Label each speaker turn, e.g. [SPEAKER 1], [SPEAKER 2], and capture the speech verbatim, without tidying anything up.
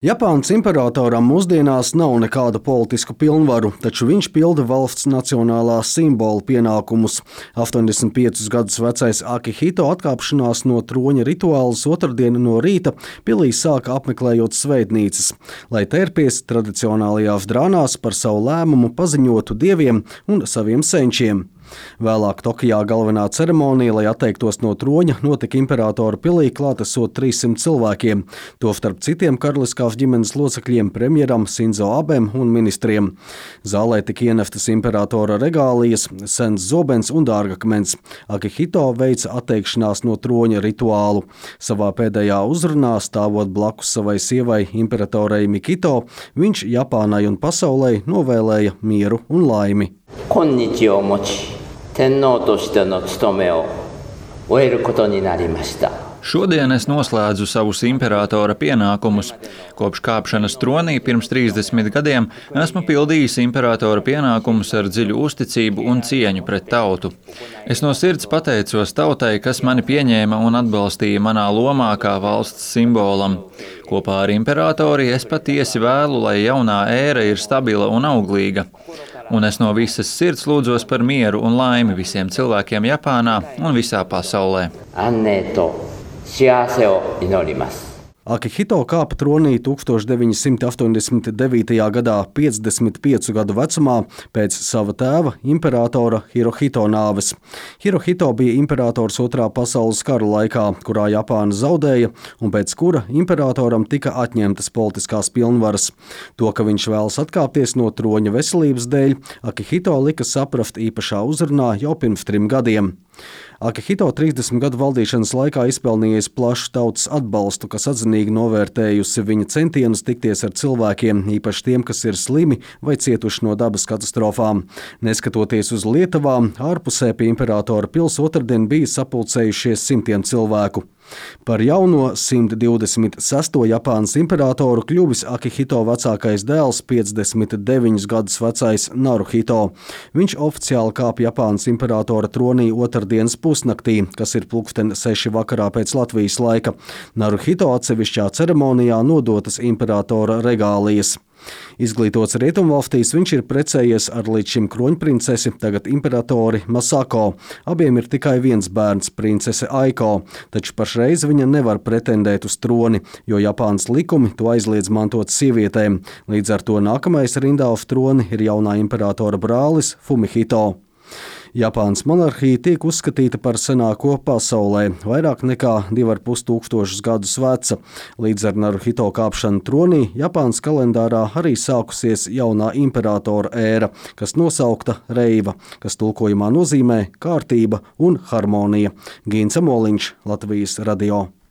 [SPEAKER 1] Japānas imperatoram mūsdienās nav nekādu politisku pilnvaru, taču viņš pilda valsts nacionālā simbola pienākumus. astoņdesmit piecus gadus vecais Akihito atkāpšanās no troņa rituālus otrdien no rīta pilī sāka apmeklējot svētnīcas, lai tērpies tradicionālajās drānās par savu lēmumu paziņotu dieviem un saviem senčiem. Vēlāk Tokijā galvenā ceremonija, lai atteiktos no troņa, notika imperatora pilī klātesot trīssimt cilvēkiem, tostarp citiem karaliskās ģimenes locekļiem, premjeram Sinzo Abem un ministriem. Zālē tika ieneftas imperatora regālijas, sens zobens un dārgakmens. Akihito veica atteikšanās no troņa rituālu. Savā pēdējā uzrunā, stāvot blakus savai sievai imperatorei Mikito, viņš Japānai un pasaulei novēlēja mieru un laimi.
[SPEAKER 2] 今日をもち、天皇としての務めを終えることになりました。
[SPEAKER 3] Šodien es noslēdzu savus imperatora pienākumus. Kopš kāpšanas tronī pirms trīsdesmit gadiem esmu pildījis imperatora pienākumus ar dziļu uzticību un cieņu pret tautu. Es no sirds pateicos tautai, kas mani pieņēma un atbalstīja manā lomā kā valsts simbolam. Kopā ar imperatori es patiesi vēlu, lai jaunā ēra ir stabila un auglīga. Un es no visas sirds lūdzos par mieru un laimi visiem cilvēkiem Japānā un visā pasaulē. Akihito
[SPEAKER 1] kāpa tronī tuksstoš deviņsimt astoņdesmit devītajā gadā piecdesmit piecu gadu vecumā pēc sava tēva imperatora Hirohito nāves. Hirohito bija imperators otrā pasaules kara laikā, kurā Japāna zaudēja un pēc kura imperatoram tika atņemtas politiskās pilnvaras. To, ka viņš vēlas atkāpties no troņa veselības dēļ, Akihito lika saprast īpašā uzrunā jau pirms trim gadiem. Akihito trīsdesmit gadu valdīšanas laikā izpelnījies plašu tautas atbalstu, kas atzinīgi novērtējusi viņa centienus tikties ar cilvēkiem, īpaši tiem, kas ir slimi vai cietuši no dabas katastrofām. Neskatoties uz Lietuvām, ārpusē pie imperatora pils otrdien bija sapulcējušies simtiem cilvēku. Par jauno simt divdesmit sesto Japānas imperatoru kļuvis Akihito vecākais dēls, piecdesmit deviņus gadus vecais Naruhito. Viņš oficiāli kāpa Japānas imperatora tronī otrdienas pusnaktī, kas ir pulksten seši vakarā pēc Latvijas laika. Naruhito atsevišķā ceremonijā nodotas imperatora regālijas. Izglītots Rietumvalstīs, viņš ir precējies ar līdz šim kroņprincesi, tagad imperatori Masako. Abiem ir tikai viens bērns, princese Aiko, taču pašreiz viņa nevar pretendēt uz troni, jo Japānas likumi to aizliedz mantot sievietēm. Līdz ar to nākamais rindā uz troni ir jaunā imperatora brālis Fumihito. Japānas monarhija tiek uzskatīta par senāko pasaulē, vairāk nekā divi ar pus tūkstošus gadus veca. Līdz ar Naruhito kāpšanu tronī Japānas kalendārā arī sākusies jaunā imperatora ēra, kas nosaukta Reiva, kas tulkojumā nozīmē kārtība un harmonija. Gīns Amoliņš, Latvijas radio.